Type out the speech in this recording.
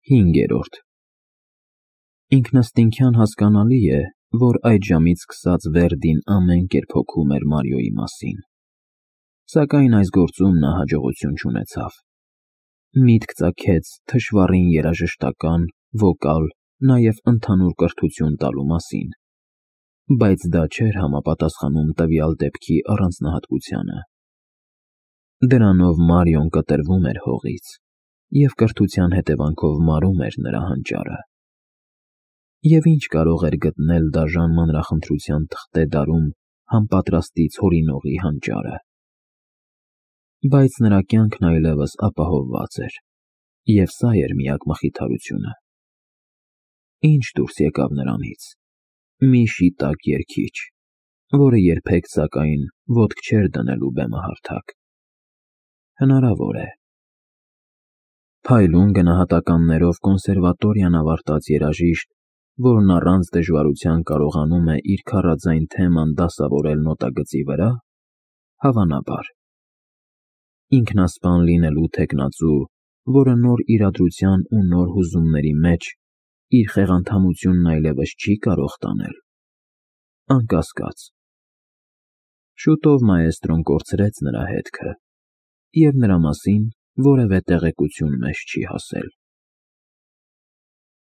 5. Ինքնըստինքյան հասկանալի է, որ այդ ժամից սկսած Վերդին ամեն կերպ հոգում էր Մարիոյի մասին, սակայն այս գործում նա հաջողություն չունեցավ։ Միտք ծագեց թշվառին երաժշտական, վոկալ, նաև ընդհանուր կրթություն տալու մասին, բայց դա չէր համապատասխանում տվյալ դեպքի առանձնահատկությանը։ Դրանով Մարիոն կտրվում էր հողից և կրթության հետևանքով մարում էր նրա հանճարը։ Եվ ինչ կարող էր գտնել դաժան մանրախնդրության թղթե դարում համապատրաստից հորինողի հանճարը։ Բայց նրա կյանքն այլևս ապահովված էր, և սա էր միակ մխիթարությունը։ Ինչ դուրս եկավ նրանից։ Մի շիտակ երգիչ, որը երբեք, սակայն, ոտք չէր դնելու բեմահարթակ։ Հնարավոր է։ Փայլուն գնահատականներով կոնսերվատորիան ավարտած երաժիշտ, որն առանց դժվարության կարողանում է իր քառաձայն թեման դասավորել նոտագծի վրա, հավանաբար։ Ինքնասպան լինելու թեկնածու, որը նոր իրադրության ու նոր հուզումների մեջ իր խեղանդամությունն այլևս չի կարող տանել, անկասկած։ Շուտով մաեստրոն կորցրեց նրա հետքը, և նրա մասին որևէ տեղեկություն մեզ չի հասել։